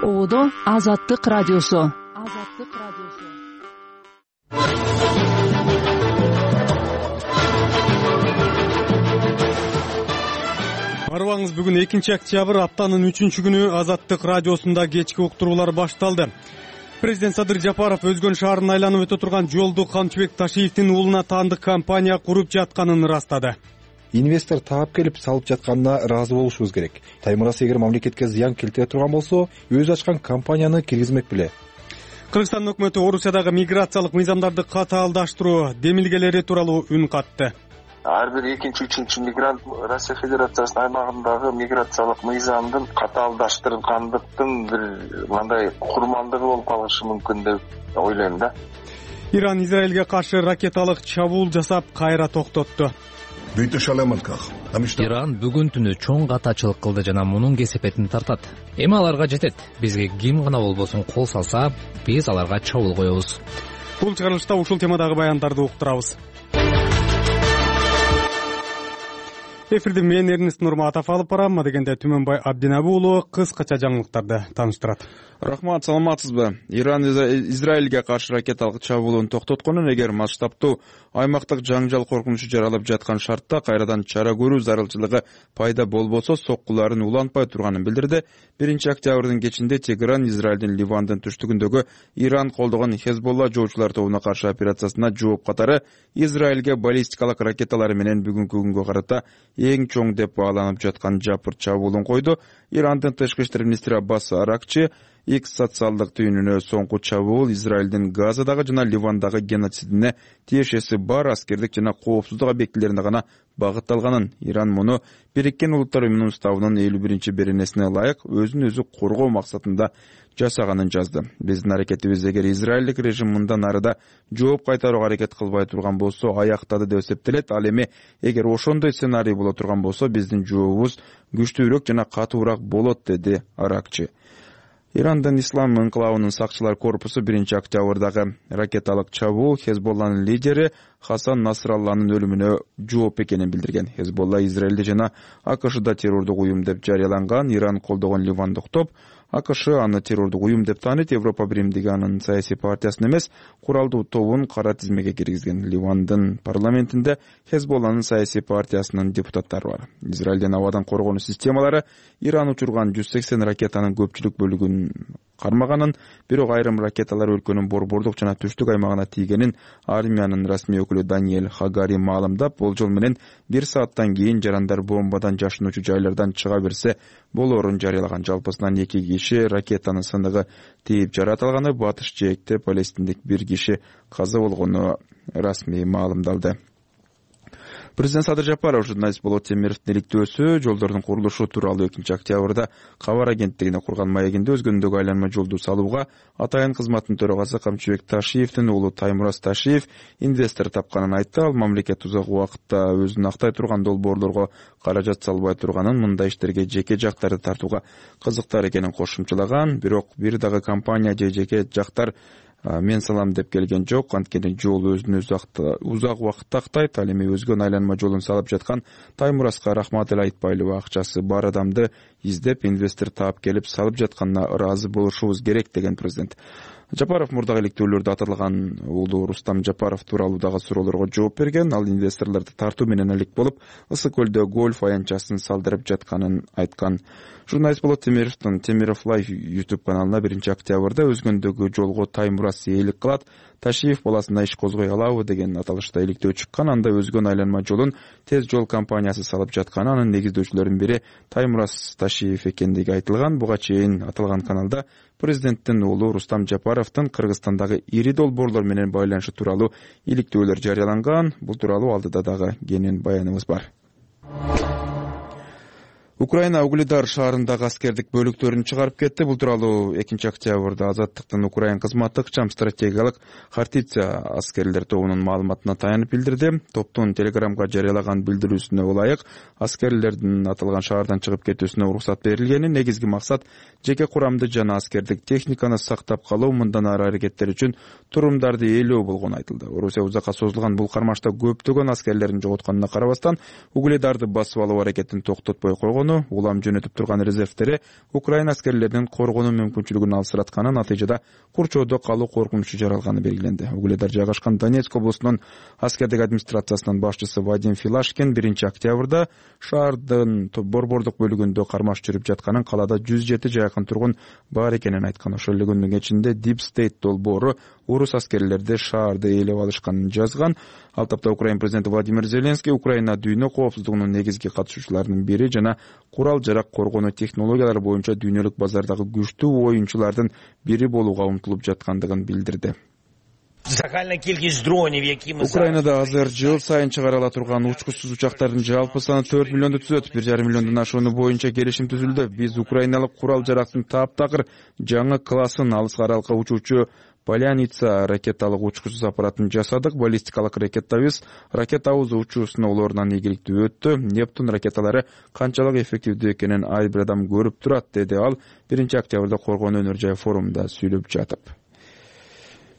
Оодо Азаттык радиосу. Арыбаңыз, бүгүн 2 октябрь, аптанын 3 күнү Азаттык радиосунда кечки уктуруулар башталды. Президент Садыр Жапаров өзгөн шаарын айланып өтө турган жолду Камчыбек Ташиевдин уулуна таандык компания куруп жатканын ырастады. Инвестор таап келип салып жатканына ыраазы болушубуз керек. Таймурас эгер мамлекетке зыян келтире турган болсо, өзү ачкан компанияны киргизмек беле. Кыргызстан өкмөтү Орусиядагы миграциялык мыйзамдарды катаалдаштыруу демилгелери тууралуу үн катты. Ар бир экинчи, үчүнчү мигрант Россия Федерациясынын аймагындагы миграциялык мыйзамдын катаалдаштыргандыктын бир мындай курмандыгы болуп калышы мүмкүн деп ойлойм да. Иран Израилге каршы ракеталык чабуул жасап, кайра токтотту. Иран бүгүн түнү чоң катачылык кылды жана мунун кесепетин тартат. Эми аларга жетет. Бизге ким гана болбосун кол салса, биз аларга чабуул коебуз. Бул чыгарылышта ушул темадагы баяндарды уктурабыз. Эфирде мен Эрнест Нурматов алып барам, дегенде Түмөнбай Абдинабы уулу кыскача жаңылыктарды тааныштырат. Рахмат, саламатсызбы? Иран Израилге каршы ракеталык чабуулун токтотконун, эгер масштабтуу аймактык жаңжал коркунучу жаралып жаткан шартта кайрадан чара көрүү зарылчылыгы пайда болбосо, соккуларын улантпай турганын билдирди. 1 октябрдын кечинде Тегеран Израилдин Ливандын түштүгүндөгү Иран колдогон Хезболла жоочулар тобуна каршы операциясына жооп катары Израилге баллистикалык ракеталары менен бүгүнкү күнгө карата эң чоң деп бааланып жаткан жапыр чабуулун койду. Ирандын тышкы иштер министри Аббас Аракчи X социалдык түйүнүнө соңку чабуул Израилдин Газадагы жана Ливандагы геноцидине тиешеси бар аскердик жана коопсуздук объектилерине гана багытталганын, Иран муну Бириккен Улуттар Уюмунун уставынын 51-беренесине ылайык өзүн өзү коргоо максатында жасаганын жазды. Биздин аракетибиз эгер Израилдик режим мындан арыда жооп кайтарууга аракет кылбай турган болсо, аяктады деп эсептелет. Ал эми эгер ошондой сценарий боло турган болсо, биздин жообубуз күчтүүрөөк жана катуураак болот, деди Аракчи. Ирандын Ислам инкылабынын сакчылар корпусу 1 октябрдагы ракеталык чабуул Хезболланын лидери Хасан Насралланын өлүмүнө жооп экенин билдирген. Хезболла Израилде жана АКШда террордук уюм деп жарыяланган. Иран колдогон Ливандык топ АКШ аны террордук уюм деп тааныйт. Европа биримдиги анын саясий партиясын эмес, куралдуу тобун кара тизмеге киргизген. Ливандын парламентинде Хезболланын саясий партиясынын депутаттары бар. Израилдин абадан коргонуу системалары Иран учурган 180 ракетанын көпчүлүк бөлүгүн кармаганын, бирок айрым ракеталар өлкөнүн борбордук жана түштүк аймагына тийгенин армиянын расмий өкүлү Даниэль Хагари маалымдап, болжол менен 1 сааттан кийин жарандар бомбадан жашынуучу жайлардан чыга берсе болоорун жарыялаган. Жалпысынан 2 киши ракетанын сыныгы тийип жаратылганы, батыш жээкте палестиндик 1 киши каза болгону расмий маалымдалды. Президент Садыр Жапаров журналист Болот Темировдун иликтөөсү жолдордун курулушу тууралуу 2 октябрда кабар агенттигине курган маегинде өзгөндөгү айланма жолду салууга атайын кызматтын төрагасы Камчыбек Ташиевдин уулу Таймурас Ташиев инвестор тапканын айтты. Ал мамлекет узак убакытта өзүн актай турган долбоорлорго каражат салбай турганын, мындай иштерге жеке жактарды тартууга кызыктар экенин кошумчалаган. Бирок бир дагы компания же жеке жактар мен салам деп келген жок. Анткени жол өзүн узак убакытта актайт. Ал эми өзгөн айланма жолун салып жаткан Таймураска рахмат эле айтпайлыбы, акчасы бар адамды издеп инвестор таап келип салып жатканына ыраазы болушубуз керек, деген президент. Жапаров мурдагы иликтөөлөрдө аталган уулу Рустам Жапаров тууралуу дагы суроолорго жооп берген. Ал инвесторлорду тартуу менен элек болуп, Ысык көлдө гольф аянтчасын салдырып жатканын айткан. Журналист Болот Темировдун Темиров Лайф YouTube каналына 1 октябрда өзгөндөгү жолго Таймурас ээлик кылат, Ташиев баласына иш козгой алабы деген аталышта иликтөө чыккан. Анда өзгөн айланма жолун Тез жол компаниясы салып жатканы, анын негиздөөчүлөрүнүн бири Таймурас Ташиев экендиги айтылган. Буга чейин аталган каналда президенттин уулу Рустам Жапаровдун Кыргызстандагы ири долбоорлор менен байланышы тууралуу иликтөөлөр жарыяланган. Бул тууралуу алдыда дагы кенен баяныбыз бар. Украина Угледар шаарындагы аскердик бөлүктөрүн чыгарып кетти. Бул тууралуу 2 октябрда Азаттыктын Украин кызматтык ыкчам стратегиялык Хартиция аскерлер тобунун маалыматына таянып билдирди. Топтун Телеграмга жарыялаган билдирүүсүнө ылайык, аскерлердин аталган шаардан чыгып кетүүсүнө уруксат берилгени. Негизги максат жеке курамды жана аскердик техниканы сактап калуу, мындан ары аракеттер үчүн турумдарды ээлөө болгону айтылды. Орусия узакка созулган бул кармашта көптөгөн аскерлерин жоготконуна карабастан, Угледарды басып алуу аракетин токтотпой койгон. коргоону, улам жөнөтүп турган резервдери Украина аскерлеринин коргонуу мүмкүнчүлүгүн алсыратканы, натыйжада курчоодо калуу коркунучу жаралганы белгиленди. Угледар жайгашкан Донецк облусунун аскердик администрациясынын башчысы Вадим Филашкин 1-октябрда шаардын борбордук бөлүгүндө кармаш жүрүп жатканын, калаада 107 жакын тургун бар экенин айткан. Ошол эле күндүн кечинде Deep State долбоору орус аскерлерди шаарды ээлеп алышканын жазган. Ал тапта Украина президенти Владимир Зеленский Украина дүйнө коопсуздугунун негизги катышуучуларынын бири жана курал жарак коргонуу технологиялары боюнча дүйнөлүк базардагы күчтүү оюнчулардын бири болууга умтулуп жаткандыгын билдирди. Украинада азыр жыл сайын чыгарыла турган учкучсуз учактардын жалпы саны 4 миллионду түзөт. 1,5 миллиондон ашууну боюнча келишим түзүлдү. Биз украиналык курал жарактын таптакыр жаңы классын, алыска аралыкка учуучу Поляница ракеталык учкучсуз аппаратын жасадык. Баллистикалык ракетабыз ракетабыз учуусуна олорунан ийгиликтүү өттү. Нептун ракеталары канчалык эффективдүү экенин ар бир адам көрүп турат, деди ал 1-октябрда Коргонуу өнөр жай форумунда сүйлөп жатып.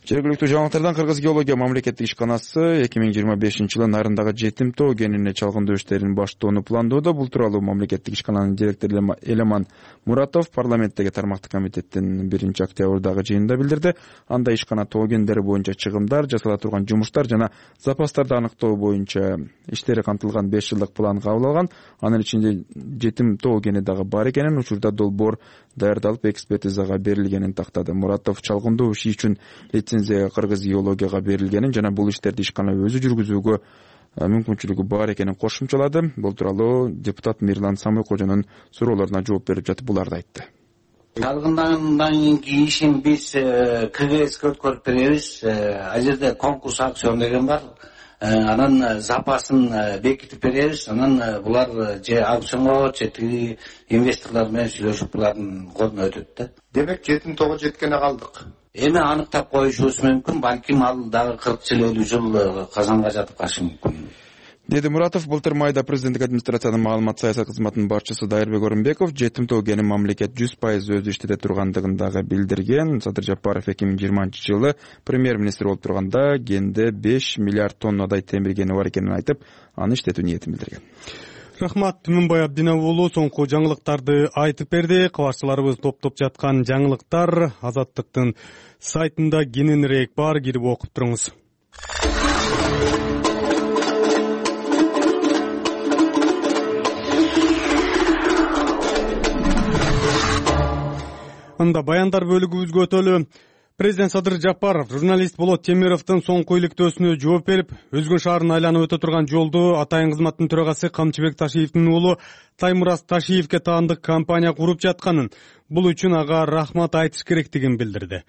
Жергиликтүү жаңылыктардан Кыргыз геология мамлекеттик ишканасы 2025-жылы Нарындагы Жетим тоо кенинде чалгындоо иштерин баштоону пландоодо. Бул тууралуу мамлекеттик ишкананын директору Элеман Муратов парламенттеги тармактык комитеттин 1-октябрдагы жыйынында билдирди. Анда ишкана тоо кендери боюнча чыгымдар, жасала турган жумуштар жана запастарды аныктоо боюнча иштери камтылган 5 жылдык план кабыл алган. Анын ичинде Жетим тоо кени дагы бар экенин, учурда долбоор даярдалып экспертизага берилгенин тактады. Муратов чалгындоо иши үчүн лицензия Кыргыз геологияга берилгенин жана бул иштерди ишкана өзү жүргүзүүгө мүмкүнчүлүгү бар экенин кошумчалады. Бул тууралуу депутат Мирлан Самойкожонун суроолоруна жооп берип жатып буларды айтты. Чалгындандан кийинки ишин биз КГСке өткөрүп беребиз. Ал жерде конкурс акцион деген бар. Анан запасын бекитип беребиз. Анан булар же аукционго, же тиги инвесторлор менен сүйлөшүп булардын колуна өтөт да. Демек Жетим тоого жеткене калдык. Эми аныктап коюшубуз мүмкүн, балким ал дагы 40 жыл 50 жыл казанга жатып калышы мүмкүн, деди Муратов. Былтыр майда президенттик администрациянын маалымат саясат кызматынын башчысы Дайырбек Орунбеков Жетим тоо кенин мамлекет 100% өзү иштете тургандыгын дагы билдирген. Садыр Жапаров 2020-жылы премьер-министр болуп турганда кенде 5 миллиард тоннадай темир кени бар экенин айтып, аны иштетүү ниетин билдирген. Рахмат, Түмөнбай Абдинов уулу соңку жаңылыктарды айтып берди. Кабарчыларыбыз топтоп жаткан жаңылыктар Азаттыктын сайтында кененирээк бар, кирип окуп туруңуз. Анда баяндар бөлүгүбүзгө өтөлү. Президент Садыр Жапаров журналист Болот Темировдун соңку иликтөөсүнө жооп берип, Өзгөн шаарын айланып өтө турган жолду атайын кызматтын төрагасы Камчыбек Ташиевдин уулу Таймураз Ташиевке таандык компания куруп жатканын, бул үчүн ага рахмат айтыш керектигин билдирди.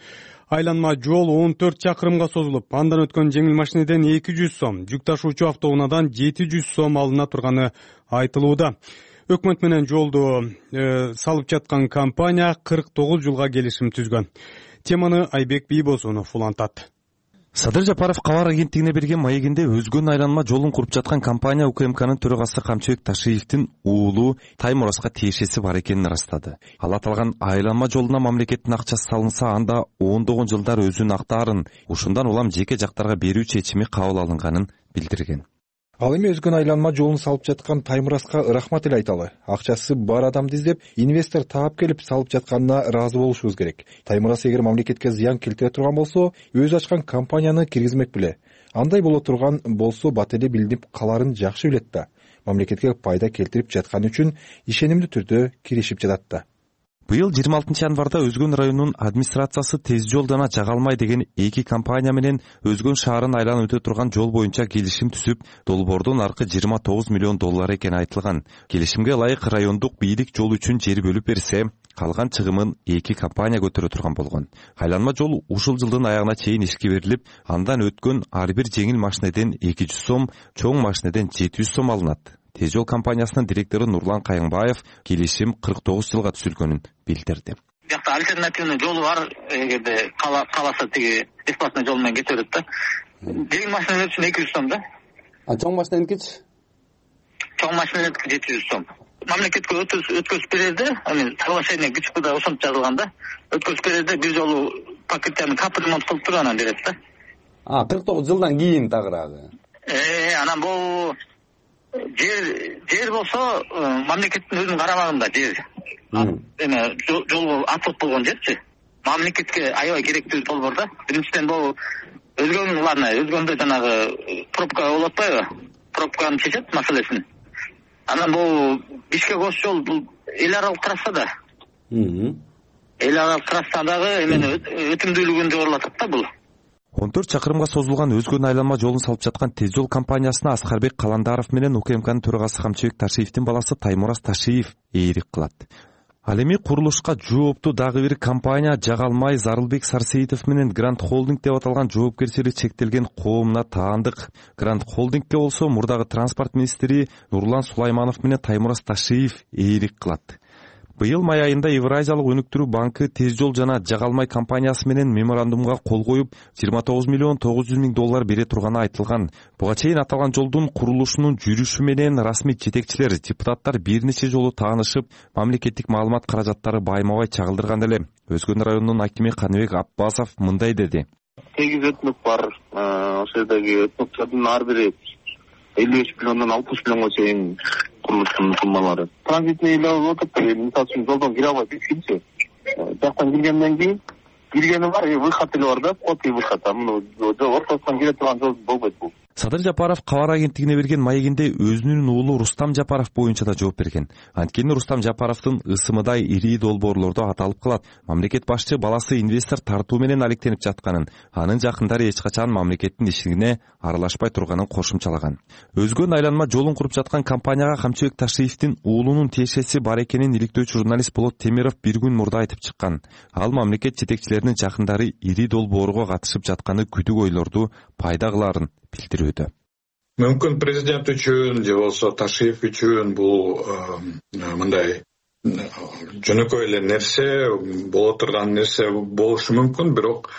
Айланма жол 14 чакырымга созулуп, андан өткөн жеңил машинеден 200 сом, жүк ташуучу автоунаадан 700 сом алына турганы айтылууда. Өкмөт менен жолду салып жаткан компания 49 жылга келишим түзгөн. Теманы Айбек Бийбосунов улантат. Садыр Жапаров кабар агенттигине берген маегинде Өзгөн айланма жолун куруп жаткан компания УКМКнын төрагасы Камчыбек Ташиевдин уулу Таймуразга тиешеси бар экенин ырастады. Ал аталган айланма жолуна мамлекеттин акчасы салынса, анда 19 жылдар өзүн актаарын, ушундан улам жеке жактарга берүү чечими кабыл алынганын билдирген. Ал эми Өзгөн айланма жолун салып жаткан Таймуразга рахмат эле айталы. Акчасы бар адамды издеп, инвестор таап келип салып жатканына ыраазы болушубуз керек. Таймураз эгер мамлекетке зыян келтире турган болсо, өзү ачкан компанияны киргизмек беле. Андай боло турган болсо бат эле билинип каларын жакшы билет да. Мамлекетке пайда келтирип жатканы үчүн ишенимдүү түрдө киришип жатат да. Быйыл 26 январда Өзгөн районунун администрациясы тез жолдона жага алмай деген эки компания менен Өзгөн шаарын айланып өтө турган жол боюнча келишим түзүп, долбоордун наркы 29 миллион доллар экени айтылган. Келишимге ылайык райондук бийлик жол үчүн жер бөлүп берсе, калган чыгымын эки компания көтөрө турган болгон. Айланма жол ушул жылдын аягына чейин ишке берилип, андан өткөн ар бир жеңил машинеден 200 сом, чоң машинеден 700 сом алынат. Тез жол компаниясынын директору Нурлан Кайыңбаев келишим 49 жылга түзүлгөнүн билдирди. Бияқта альтернативный жолу бар, эгерде каласа тиги бесплатный жол менен кете берет да. Жеңил машиналар үчүн 200 сом да. Чоң машиненики? Чоң машиналар 700 сом. Мамлекетке өткөзүп берди, аны соглашение ГЧПда ошончо жазылган да. Өткөзүп берди, бир жолу пакеттерин капремонт кылып туруп анан берет да. 49 жылдан кийин тагыраагы. Анан бул жер болсо мамлекеттин өзүнүн карамагында жер. Эме жол ачылып болгон жерчи. Мамлекетке аябай керектүү долбоор да. Биринчиден бул өзгөндө жанагы пробка болуп атпайбы? Пробканы чечет маселесин. Анан бул Бишкек Ош жол бул эл аралык трасса да. Эл аралык трассадагы эмени өтүмдүүлүгүн жогорулатат да бул. 14 чакырымга созулган өзгөн айланма жолун салып жаткан Тез жол компаниясына Аскарбек Каландаров менен УКМКнын төрагасы Камчыбек Ташиевдин баласы Таймураз Ташиев ээрик кылат. Ал эми курулушка жооптуу дагы бир компания Жагалмай Зарылбек Сарсеитов менен Гранд Холдинг деп аталган жоопкерчилиги чектелген коомуна таандык. Гранд Холдингке болсо мурдагы транспорт министри Нурлан Сулайманов менен Таймураз Ташиев ээрик кылат. Быйыл май айында Евразиялык өнүктүрүү банкы Тез жол жана Жагалмай компаниясы менен меморандумга кол коюп, 29 миллион 900 миң доллар бере турганы айтылган. Буга чейин аталган жолдун курулушунун жүрүшү менен расмий жетекчилер, депутаттар бир нече жолу таанышып, мамлекеттик маалымат каражаттары байма-бай чагылдырган эле. Өзгөн районунун акими Каныбек Аппасов мындай деди. 8 өтмөк бар. Ошол жердеги өтмөктөрдүн ар бири 55 миллиондон 60 миллионго чейин курулуштун суммалары. Транзитный эле болуп атат. Мисалы үчүн жолдон кире албайт эчкинчи. Жактан киргенден кийин киргени бар, выход эле бар да, вход и выход. Муну ортосунан кире турган жол болбойт бул. Садыр Жапаров кабар агенттигине берген маегинде өзүнүн уулу Рустам Жапаров боюнча да жооп берген. Анткени Рустам Жапаровдун ысымыдай ири долбоорлордо аталып калат. Мамлекет башчы баласы инвестор тартуу менен алектенип жатканын, анын жакындары эч качан мамлекеттин ишине аралашпай турганын кошумчалаган. Өзгөн айланма жолун куруп жаткан компанияга Камчыбек Ташиевдин уулунун тиешеси бар экенин иликтөөчү журналист Болот Темиров бир күн мурда айтып чыккан. Ал мамлекет жетекчилеринин жакындары ири долбоорго катышып жатканы күдүк ойлорду пайда кыларын билдирүүдө. Мүмкүн президент үчүн же болсо Ташиев үчүн бул мындай жөнөкөй эле нерсе, боло турган нерсе болушу мүмкүн, бирок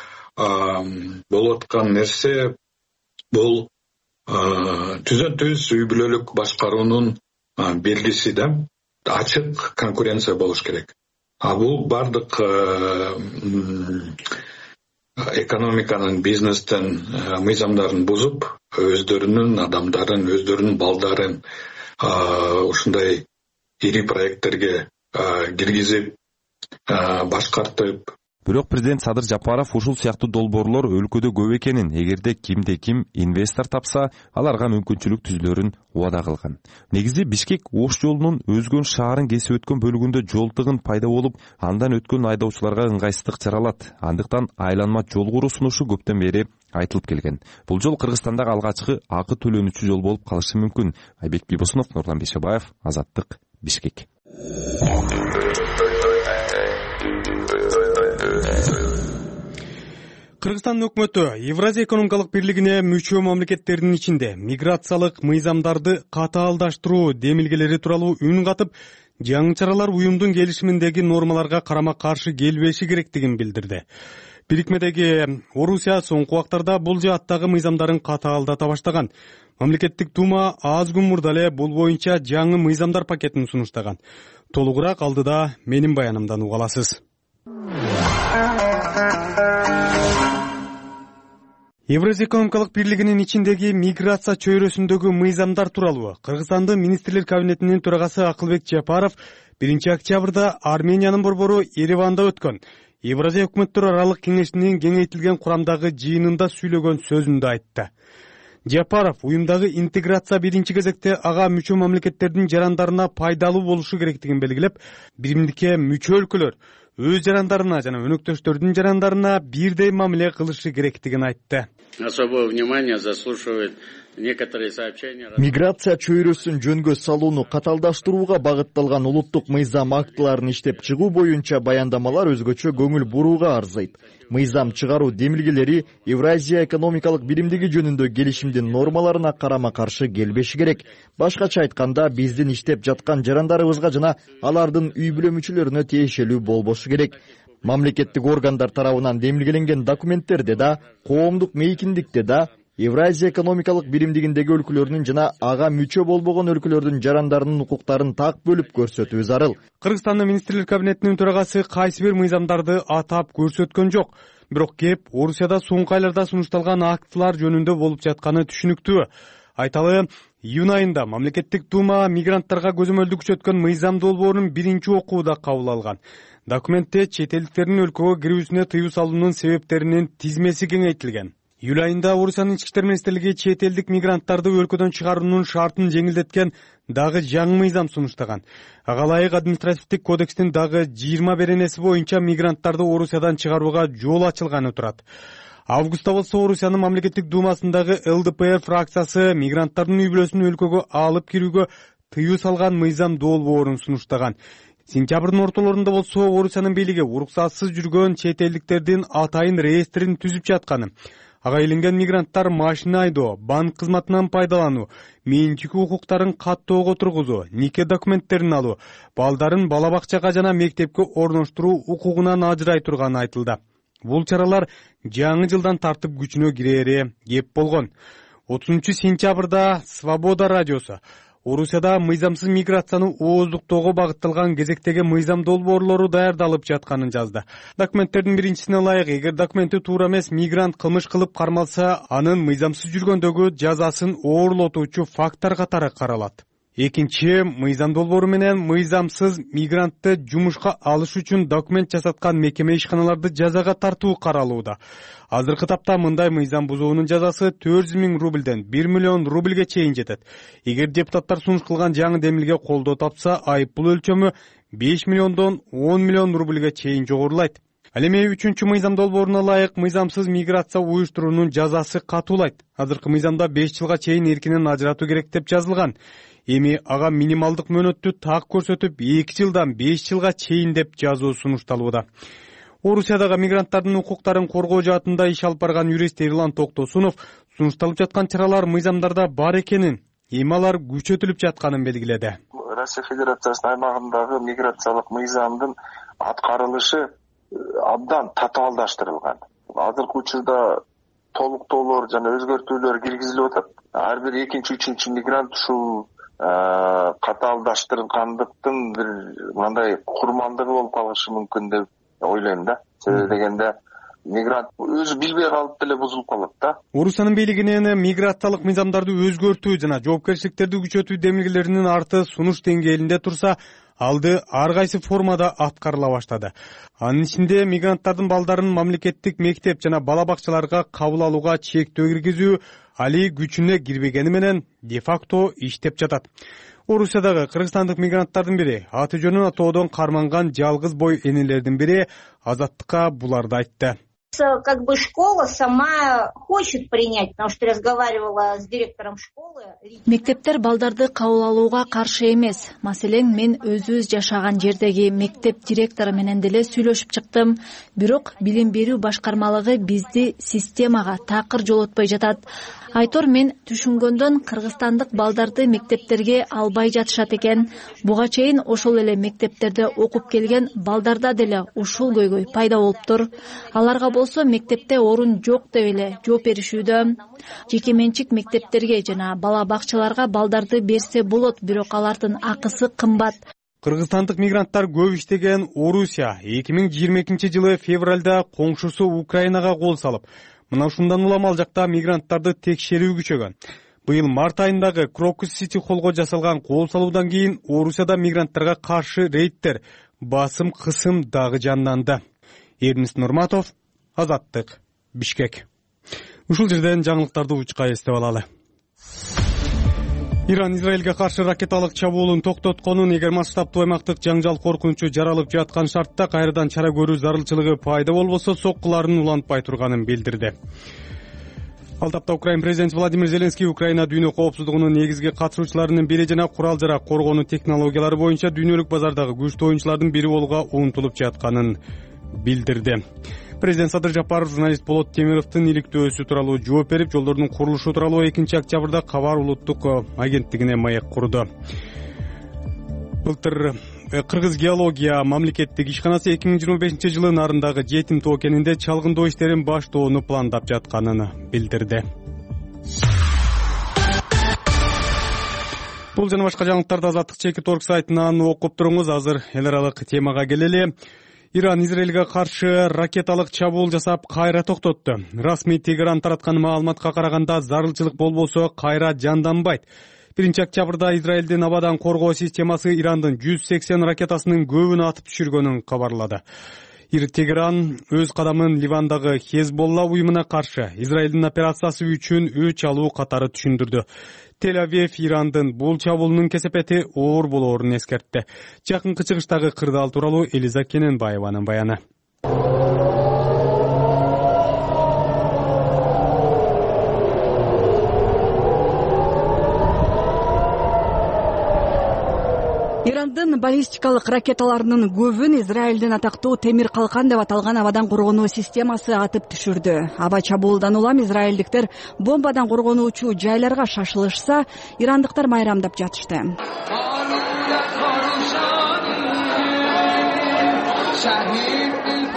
болуп аткан нерсе бул түзөн-түз үй бүлөлүк башкаруунун белгиси да, ачык конкуренция болуш керек. Бул бардык экономиканын, бизнестин мыйзамдарын бузуп, өздөрүнүн адамдарын, өздөрүнүн балдарын ушундай ири проекттерге киргизип, башкартып. Бирок президент Садыр Жапаров ушул сыяктуу долбоорлор өлкөдө көп экенин, эгерде кимде-ким инвестор тапса, аларга мүмкүнчүлүк түзүлөрүн убада кылган. Негизи Бишкек Ош жолунун Өзгөн шаарын кесип өткөн бөлүгүндө жол тыгын пайда болуп, андан өткөн айдоочуларга ыңгайсыздык жаралат. Андыктан айланма жол куруу сунушу көптөн бери айтылып келген. Бул жол Кыргызстандагы алгачкы акы төлөнүүчү жол болуп калышы мүмкүн. Айбек Бибосунов, Нурлан Бейшебаев, Азаттык, Бишкек. Кыргызстандын өкмөтү Евразия экономикалык бирлигине мүчө мамлекеттердин ичинде миграциялык мыйзамдарды катаалдаштыруу демилгелери тууралуу үн катып, жаңы чаралар уюмдун келишиминдеги нормаларга карама каршы келбеши керектигин билдирди. Бирикмедеги Орусия соңку убактарда бул жааттагы мыйзамдарын катаалдата баштаган. Мамлекеттик дума аз күн мурда эле бул боюнча жаңы мыйзамдар пакетин сунуштаган. Толугураак алдыда менин баянымдан уга аласыз. Евразия экономикалык бирлигинин ичиндеги миграция чөйрөсүндөгү мыйзамдар тууралуу Кыргызстандын министрлер кабинетинин төрагасы Акылбек Жапаров 1-октябрда Армениянын борбору Ереванда өткөн Евразия өкмөттөр аралык кеңешинин кеңейтилген курамдагы жыйынында сүйлөгөн сөзүндө айтты. Жапаров уюмдагы интеграция биринчи кезекте ага мүчө мамлекеттердин жарандарына пайдалуу болушу керектигин белгилеп, биримдикке мүчө өлкөлөр өз жарандарына жана өнөктөштөрдүн жарандарына бирдей мамиле кылышы керектигин айтты. Особое внимание заслуживает некоторые сообщения. Миграция чөйрөсүн жөнгө салууну каталдаштырууга багытталган улуттук мыйзам актыларын иштеп чыгуу боюнча баяндамалар өзгөчө көңүл бурууга арзыйт. Мыйзам чыгаруу демилгелери Евразия экономикалык биримдиги жөнүндө келишимдин нормаларына карама каршы келбеши керек. Башкача айтканда, биздин иштеп жаткан жарандарыбызга жана алардын үй бүлө мүчөлөрүнө тиешелүү болбошу керек. Мамлекеттик органдар тарабынан демилгеленген документтерде да, коомдук мейкиндикте да Евразия экономикалык биримдигиндеги өлкөлөрдүн жана ага мүчө болбогон өлкөлөрдүн жарандарынын укуктарын так бөлүп көрсөтүү зарыл. Кыргызстандын министрлер кабинетинин төрагасы кайсы бир мыйзамдарды атап көрсөткөн жок. Бирок кеп Орусияда соңку айларда сунушталган актылар жөнүндө болуп жатканы түшүнүктүү. Айталы, июнь айында мамлекеттик дума мигранттарга көзөмөлдү күчөткөн мыйзам долбоорунун биринчи окууда кабыл алган. Документте чет элдиктердин өлкөгө кирүүсүнө тыюу салуунун себептеринин тизмеси кеңейтилген. Июль айында Орусиянын ички иштер министрлиги чет элдик мигранттарды өлкөдөн чыгаруунун шартын жеңилдеткен дагы жаңы мыйзам сунуштаган. Ага ылайык административдик кодекстин дагы 20 беренеси боюнча мигранттарды Орусиядан чыгарууга жол ачылганы турат. Августта болсо Орусиянын мамлекеттик думасындагы ЛДПР фракциясы мигранттардын үй бүлөсүн өлкөгө алып кирүүгө тыюу салган мыйзам долбоорун сунуштаган. Сентябрдын ортолорунда болсо Орусиянын бийлиги уруксатсыз жүргөн чет элдиктердин атайын реестрин түзүп жатканы, ага иленген мигранттар машина айдоо, банк кызматынан пайдалануу, менчик укуктарын каттоого тургузуу, нике документтерин алуу, балдарын бала бакчага жана мектепке орноштуруу укугунан ажырай турганы айтылды. Бул чаралар жаңы жылдан тартып күчүнө кирери кеп болгон. 30-сентябрда Свобода радиосу Орусияда мыйзамсыз миграцияны ооздуктоого багытталган кезектеги мыйзам долбоорлору даярдалып жатканын жазды. Документтердин биринчисине ылайык, эгер документи туура эмес мигрант кылмыш кылып кармалса, анын мыйзамсыз жүргөндөгү жазасын оорлотуучу факттар катары каралат. Экинчи, мыйзам долбоору менен мыйзамсыз мигрантты жумушка алыш үчүн документ жасаткан мекеме ишканаларды жазага тартуу каралууда. Азыркы тапта мындай мыйзам бузуунун жазасы 400 000 рубльден 1 миллион рубльге чейин жетет. Эгер депутаттар сунуш кылган жаңы демилге колдоо тапса, айыппул өлчөмү 5 миллиондон 10 миллион рубльге чейин жогорулайт. Ал эми 3-чү мыйзам долбооруна ылайык мыйзамсыз миграция уюштуруунун жазасы катуулайт. Азыркы мыйзамда 5 жылга чейин эркинен ажыратуу керек деп жазылган. Эми ага минималдык мөөнөттү так көрсөтүп 2 жылдан 5 жылга чейин деп жазуу сунушталууда. Орусиядагы мигранттардын укуктарын коргоо жаатында иш алып барган юрист Эрлан Токтосунов сунушталып жаткан чаралар мыйзамдарда бар экенин, эми алар күчөтүлүп жатканын белгиледи. Россия Федерациясынын аймагындагы миграциялык мыйзамдын аткарылышы абдан татаалдаштырылган. Азыркы учурда толуктоолор жана өзгөртүүлөр киргизилип атат. Ар бир 2-3 мигрант ушул катаалдаштырылгандыктын бир мындай курмандыгы болуп калышы мүмкүн деп ойлойм да. Себеби дегенде мигрант өзү билбей калып деле бузулуп калат да. Орусиянын бийлигинин миграциялык мыйзамдарды өзгөртүү жана жоопкерчиликтерди күчөтүү демилгелеринин арты сунуш деңгээлинде турса, алды ар кайсы формада аткарыла баштады. Анын ичинде мигранттардын балдарын мамлекеттик мектеп жана бала бакчаларга кабыл алууга чектөө киргизүү али күчүнө кирбегени менен де-факто иштеп жатат. Орусиядагы кыргызстандык мигранттардын бири, аты жөнүн атоодон карманган жалгыз бой энелердин бири Азаттыкка буларды айтты. Как бы школа сама хочет принять, потому что разговаривала с директором школы. Мектептер балдарды кабыл алууга каршы эмес. Маселен, мен өзүбүз жашаган жердеги мектеп директору менен деле сүйлөшүп чыктым. Бирок билим берүү башкармалыгы бизди системага такыр жолотпой жатат. Айтор, мен түшүнгөндөн кыргызстандык балдарды мектептерге албай жатышат экен. Буга чейин ошол эле мектептерде окуп келген балдарда деле ушул көйгөй пайда болуптур. Аларга болсо мектепте орун жок деп эле жооп беришүүдө. Жеке менчик мектептерге жана бала бакчаларга балдарды берсе болот, бирок алардын акысы кымбат. Кыргызстандык мигранттар көп иштеген Орусия 2022-жылы февралда коңшусу Украинага кол салып, мына ушундан улам ал жакта мигранттарды текшерүү күчөгөн. Быйыл март айындагы Крокус Сити холлго жасалган кол салуудан кийин Орусияда мигранттарга каршы рейдтер, басым кысым дагы жанданды. Эрнис Нурматов, Азаттык, Бишкек. Ушул жерден жаңылыктарды учка эстеп алалы. Иран Израилге каршы ракеталык чабуулун токтотконун, эгер масштабтуу аймактык жаңжал коркунучу жаралып жаткан шартта кайрадан чара көрүү зарылчылыгы пайда болбосо соккуларын улантпай турганын билдирди. Ал тапта Украин президенти Владимир Зеленский Украина дүйнө коопсуздугунун негизги катышуучуларынын бири жана курал-жарак коргонуу технологиялары боюнча дүйнөлүк базардагы күчтүү оюнчулардын бири болууга умтулуп жатканын билдирди. Президент Садыр Жапаров журналист Болот Темировдун иликтөөсү тууралуу жооп берип, жолдордун курулушу тууралуу 2-октябрда Кабар улуттук агенттигине маек курду. Былтыр Кыргыз геология мамлекеттик ишканасы 2025-жылы нарындагы жетим тоо кенинде чалгындоо иштерин баштоону пландап жатканын билдирди. Бул жана башка жаңылыктарды Азаттык Чеки Торг сайтынан окуп туруңуз. Азыр эл аралык темага келели. Иран Израилге каршы ракеталык чабуул жасап кайра токтотту. Расмий Тегеран тараткан маалыматка караганда зарылчылык болбосо кайра жанданбайт. 1-октябрда Израилдин абадан коргоо системасы Ирандын 180 ракетасынын көбүн атып түшүргөнүн кабарлады. Тегеран өз кадамын Ливандагы Хезболла уюмуна каршы Израилдин операциясы үчүн өч алуу катары түшүндүрдү. Тель-Авив Ирандын бул чабуулунун кесепети оор болоорун эскертти. Жакынкы чыгыштагы кырдаал тууралуу Элиза Кененбаеванын баяны. Ирандын баллистикалык ракеталарынын көбүн Израилдин атактуу темир калкан деп аталган абадан коргонуу системасы атып түшүрдү. Аба чабуулдан улам израилдиктер бомбадан коргонуучу жайларга шашылышса, ирандыктар майрамдап жатышты.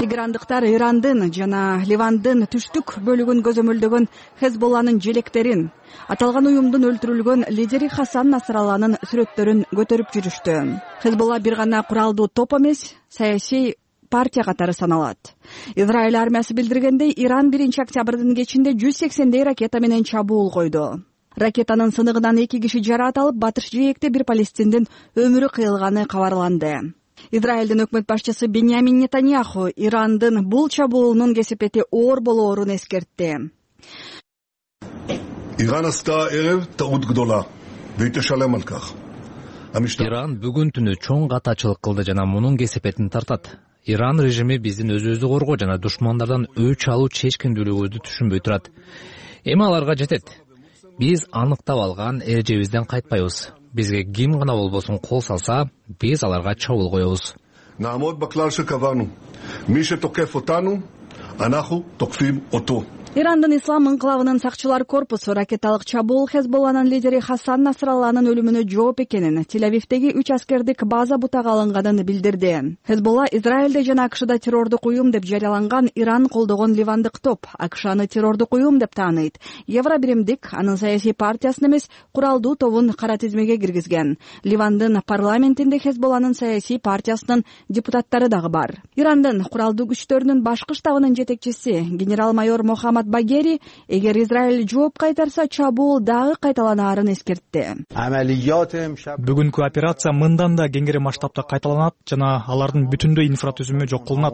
Тегерандыктар Ирандын жана Ливандын түштүк бөлүгүн көзөмөлдөгөн Хезболланын желектерин, аталган уюмдун өлтүрүлгөн лидери Хасан Насралланын сүрөттөрүн көтөрүп жүрүштү. Хезболла бир гана куралдуу топ эмес, саясий партия катары саналат. Израиль армиясы билдиргендей, Иран 1-октябрдын кечинде 180 ракета менен чабуул койду. Ракетанын сыныгынан 2 киши жараат алып, батыш жээкте бир палестиндин өмүрү кыйылганы кабарланды. Израилдин өкмөт башчысы Беньямин Нетаньяху Ирандын бул чабуулунун кесепети оор болоорун эскертти. Иран бүгүн түнү чоң катачылык кылды жана мунун кесепетин тартат. Иран режими биздин өзүбүздү коргоо жана душмандардан өч алуу чечкиндүүлүгүбүздү түшүнбөй турат. Эми аларга жетет. Биз аныктап алган эрежебизден кайтпайбыз. Бизге ким гана болбосун кол салса, биз аларга чабуул коебуз. Ирандын ислам инкылабынын сакчылар корпусу ракеталык чабуул Хезболланын лидери Хасан Насралланын өлүмүнө жооп экенин, Тель-Авивдеги 3 аскердик база бутага алынганын билдирди. Хезболла Израилде жана АКШда террордук уюм деп жарыяланган Иран колдогон ливандык топ, АКШны террордук уюм деп тааныйт. Евробиримдик анын саясий партиясын эмес, куралдуу тобун кара тизмеге киргизген. Ливандын парламентинде Хезболланын саясий партиясынын депутаттары дагы бар. Ирандын куралдуу күчтөрүнүн башкы штабынын жетекчиси генерал-майор Мохаммад Багери, эгер Израиль жооп кайтарса, чабуул дагы кайталанаарын эскертти. Бүгүнкү операция мындан да кеңири масштабта кайталанат жана алардын бүтүндөй инфратүзүмү жок кылынат.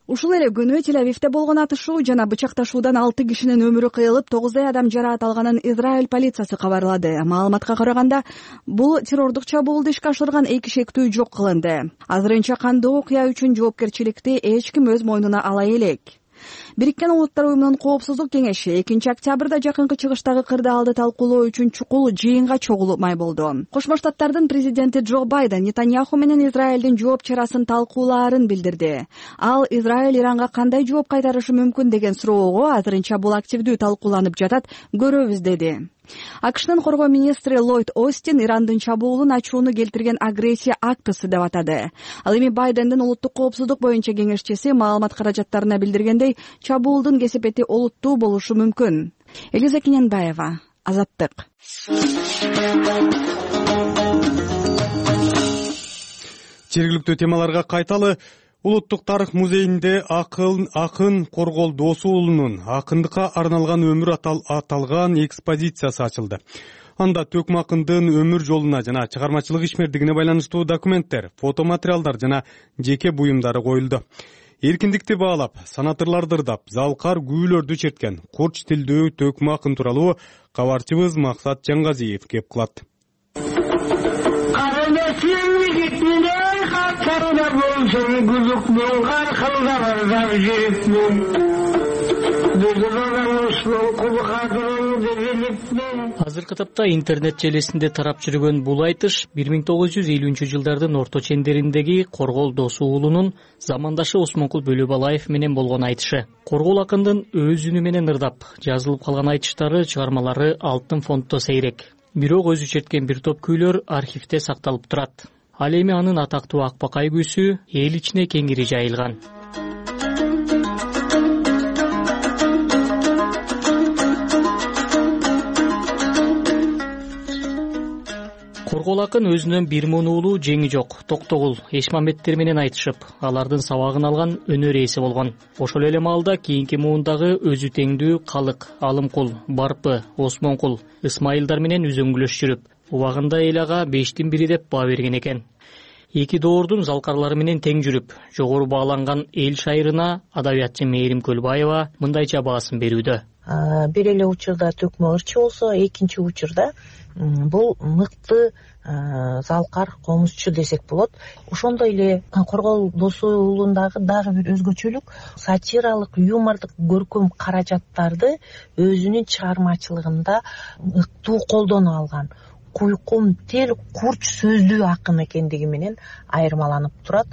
Ушул эле күнү Тель-Авивде болгон атышуу жана бычакташуудан 6 кишинин өмүрү кыйылып, 9 адам жараат алганын Израиль полициясы кабарлады. Маалыматка караганда, бул террордук чабуулду ишке ашырган эки шектүү жок кылынды. Азырынча кандуу окуя үчүн жоопкерчиликти эч ким өз мойнуна ала элек. Бириккен Улуттар уюмунун коопсуздук кеңеши 2-октябрда жакынкы чыгыштагы кырдаалды талкуулоо үчүн чукул жыйынга чогулмай болду. Кошмо Штаттардын президенти Джо Байден Нетаньяху менен Израилдин жооп чарасын талкуулаарын билдирди. Ал Израиль Иранга кандай жооп кайтарышы мүмкүн деген суроого азырынча бул активдүү талкууланып жатат, көрөбүз деди. АКШнын коргоо министри Ллойд Остин Ирандын чабуулун ачууну келтирген агрессия актысы деп атады. Ал эми Байдендин улуттук коопсуздук боюнча кеңешчиси маалымат каражаттарына билдиргендей, чабуулдун кесепети олуттуу болушу мүмкүн. Элиза Кененбаева, Азаттык. Жергиликтүү темаларга кайталы. Улуттук тарых музейинде акын Коргол Досу уулунун акындыкка арналган өмүр аталган экспозициясы ачылды. Анда Төкмө акындын өмүр жолуна жана чыгармачылык ишмердигине байланыштуу документтер, фотоматериалдар жана жеке буюмдары коюлду. Эркиндикти баалап, санатырларды ырдап, залкар күүлөрдү черткен курч тилдүү Төкмө акын тууралуу кабарчыбыз Максат Жаңгазиев кеп кылат. Азыркы тапта интернет желесинде тарап жүргөн бул айтыш 1950-жылдардын орто чендериндеги Коргол Досу уулунун замандашы Осмонкул Бөлөбалаев менен болгон айтышы. Коргол акындын өз үнү менен ырдап жазылып калган айтыштары, чыгармалары алтын фонддо сейрек. Бирок өзү черткен бир топ күйлөр архивде сакталып турат. Ал эми анын атактуу Акбакай күүсү эл ичине кеңири жайылган. Коргол акын өзүнөн бир муун уулу жеңи жок Токтогул Эшмамбеттер менен айтышып, алардын сабагын алган өнөр ээси болгон. Ошол эле маалда кийинки муундагы өзү теңдүү Калык, Алымкул, Барпы, Осмонкул, Ысмайылдар менен үзөңгүлөш жүрүп, убагында эл ага 5тин 1 деп баа берген экен. Эки доордун залкарлары менен тең жүрүп, жогору бааланган эл шайырына адабиятчы Мээрим Көлбаева мындайча баасын берүүдө. Бир эле учурда төкмө ырчы болсо, экинчи учурда бул мыкты залкар комузчу десек болот. Ошондой эле Коргол Досу уулундагы дагы бир өзгөчөлүк сатиралык, юмордук көркөм каражаттарды өзүнүн чыгармачылыгында ыктуу колдоно алган. Куйкум, тел, курч сөздүү акын экендиги менен айырмаланып турат.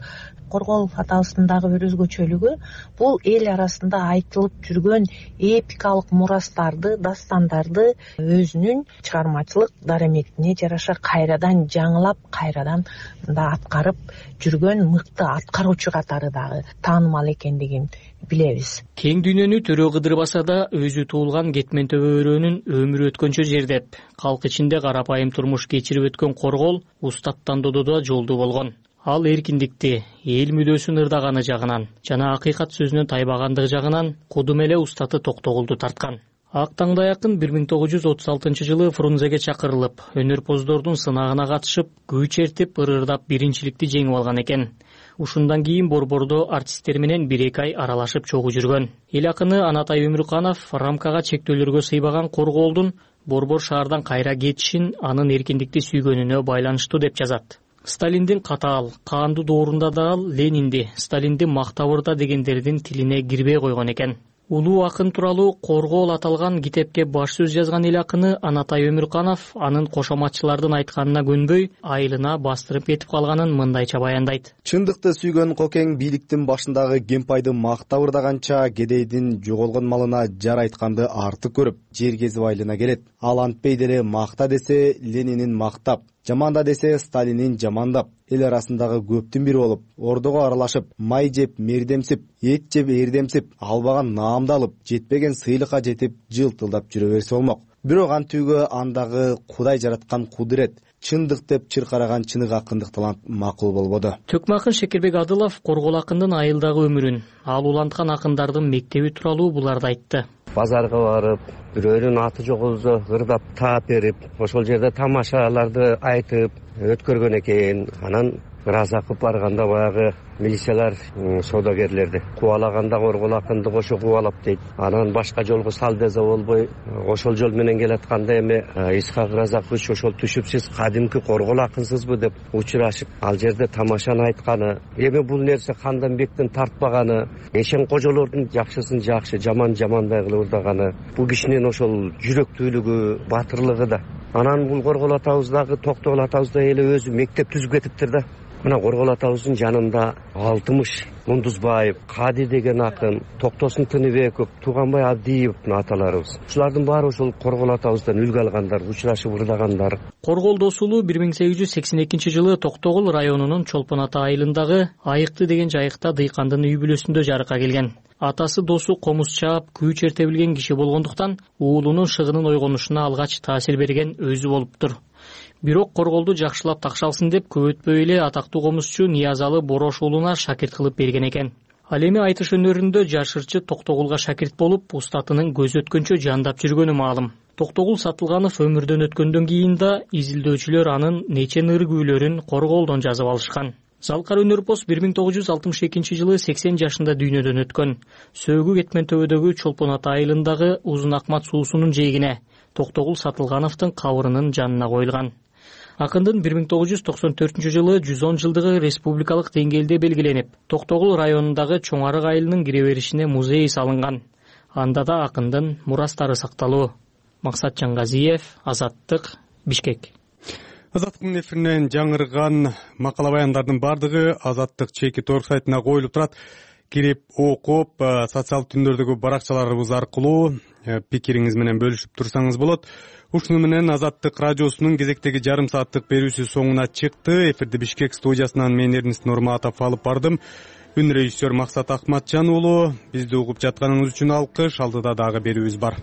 Коргол атабыздагы бир өзгөчөлүгү бул эл арасында айтылып жүргөн эпикалык мурастарды, дастандарды өзүнүн чыгармачылык дараметине жараша кайрадан жаңылап, кайрадан да аткарып жүргөн мыкты аткаруучу катары дагы таанымал экендигин билебиз. Кең дүйнөнү төрө кыдырбаса да, өзү туулган Кетмен төбө өрөөнүн өмүрү өткөнчө жер деп, калк ичинде карапайым турмуш кечирип өткөн Коргол устаттан дододо жолдуу болгон. Ал эркиндикти, эл мүдөөсүн ырдаганы жагынан жана акыйкат сөзүнөн тайбагандыгы жагынан кудум эле устаты Токтогулду тарткан. Ак таңдай акын 1936-жылы Фрунзеге чакырылып, өнөрпоздордун сынагына катышып, күй чертип, ырырдап биринчиликти жеңип алган экен. Ушундан кийин борбордо артисттер менен 1-2 ай аралашып чогуу жүргөн. Эл акыны Анатай Өмүрканов рамкага чектөөлөргө сыйбаган Корголдун борбор шаардан кайра кетишин анын эркиндикти сүйгөнүнө байланыштуу деп жазат. Сталиндин катаал, каандуу доорунда да ал Ленинди, Сталинди мактап ырда дегендердин тилине кирбей койгон экен. Улуу акын тууралуу Коргол аталган китепке баш сөз жазган эл акыны Анатай Өмүрканов анын кошоматчылардын айтканына көнбөй, айылына бастырып кетип калганын мындайча баяндайт. Чындыкты сүйгөн Кокең бийликтин башындагы кемпайды мактап ырдаганча кедейдин жоголгон малына жар айтканды артык көрүп, жер кезип айылына келет. Ал антпей деле макта десе Ленинин мактап, жаманда десе Сталинин жамандап, эл арасындагы көптүн бири болуп, ордого аралашып, май жеп мердемсип, эт жеп эрдемсип, албаган наамды алып, жетпеген сыйлыкка жетип, жылтылдап жүрө берсе болмок. Бирок антүүгө андагы Кудай жараткан кудурет, чындык деп чыркараган чынык акындык талант макул болбоду. Төкмө акын Шекербек Адылов Коргол акындын айылдагы өмүрүн, ал уланткан акындардын мектеби тууралуу буларды айтты. Базарга барып, бирөөнүн аты жок болсо ырдап таап берип, ошол жерде тамашаларды айтып өткөргөн экен. Анан Разакып барганда баягы милициялар соодагерлерди кубалаганда Коргол акынды кошо кубалап дейт. Анан башка жолго сал десе болбой, ошол жол менен келатканда эми Исхак Разакович ошол түшүп, сиз кадимки Коргол акынсызбы деп учурашып, ал жерде тамашаны айтканы. Эми бул нерсе Канданбектин тартпаганы, Эшен кожолордун жакшысын жакшы, жаман жамандай кылып ырдаганы. Бул кишинин ошол жүрөктүүлүгү, батырлыгы да. Анан бул Коргол атабыздагы, Токтогул атабызда эле өзү мектеп түзүп кетиптир да. Мына Коргол атабыздын жанында Алтымыш Мундузбаев, Кади деген акын, Токтосун Тыныбеков, Тууганбай Абдиевдин аталарыбыз. Ушулардын баары ошол Коргол атабыздан үлгү алгандар, учурашып ырдагандар. Коргол Досулу 1882-жылы Токтогул районунун Чолпон Ата айылындагы Айыкты деген жайыкта дыйкандын үй бүлөсүндө жарыкка келген. Атасы Досу комуз чаап, күй черте билген киши болгондуктан уулунун шыгынын ойгонушуна алгач таасир берген өзү болуптур. Бирок Корголду жакшылап такшалсын деп көп өтпөй эле атактуу комузчу Ниязалы Борош уулуна шакирт кылып берген экен. Ал эми айтыш өнөрүндө жаш ырчы Токтогулга шакирт болуп, устатынын көзү өткөнчө жандап жүргөнү маалым. Токтогул Сатылганов өмүрдөн өткөндөн кийин да изилдөөчүлөр анын нече ныр күүлөрүн Корголдон жазып алышкан. Залкар өнөрпоз 1962-жылы 80 жашында дүйнөдөн өткөн. Сөөгү Кетмен төбөдөгү Чолпон Ата айылындагы Узун Акмат суусунун жээгине Токтогул Сатылгановдун кабырынын жанына коюлган. Акындын 1994-жылы 110 жылдыгы республикалык деңгээлде белгиленип, Токтогул районундагы Чоң Арык айылынын кире беришине музей салынган. Анда да акындын мурастары сакталуу. Максат Жаңгазиев, Азаттык, Бишкек. Азаттыктын эфиринен жаңырган макала баяндардын бардыгы Азаттык чеки торг сайтына коюлуп турат. Кирип окуп, социалдык түндөрдөгү баракчаларыбыз аркылуу пикириңиз менен бөлүшүп турсаңыз болот. Ушуну менен Азаттык радиосунун кезектеги жарым сааттык берүүсү соңуна чыкты. Эфирди Бишкек студиясынан мен Эрнис Нурматов алып бардым. Үн режиссер Максат Акматжан уулу. Бизди угуп жатканыңыз үчүн алкыш. Алдыда дагы берүүбүз бар.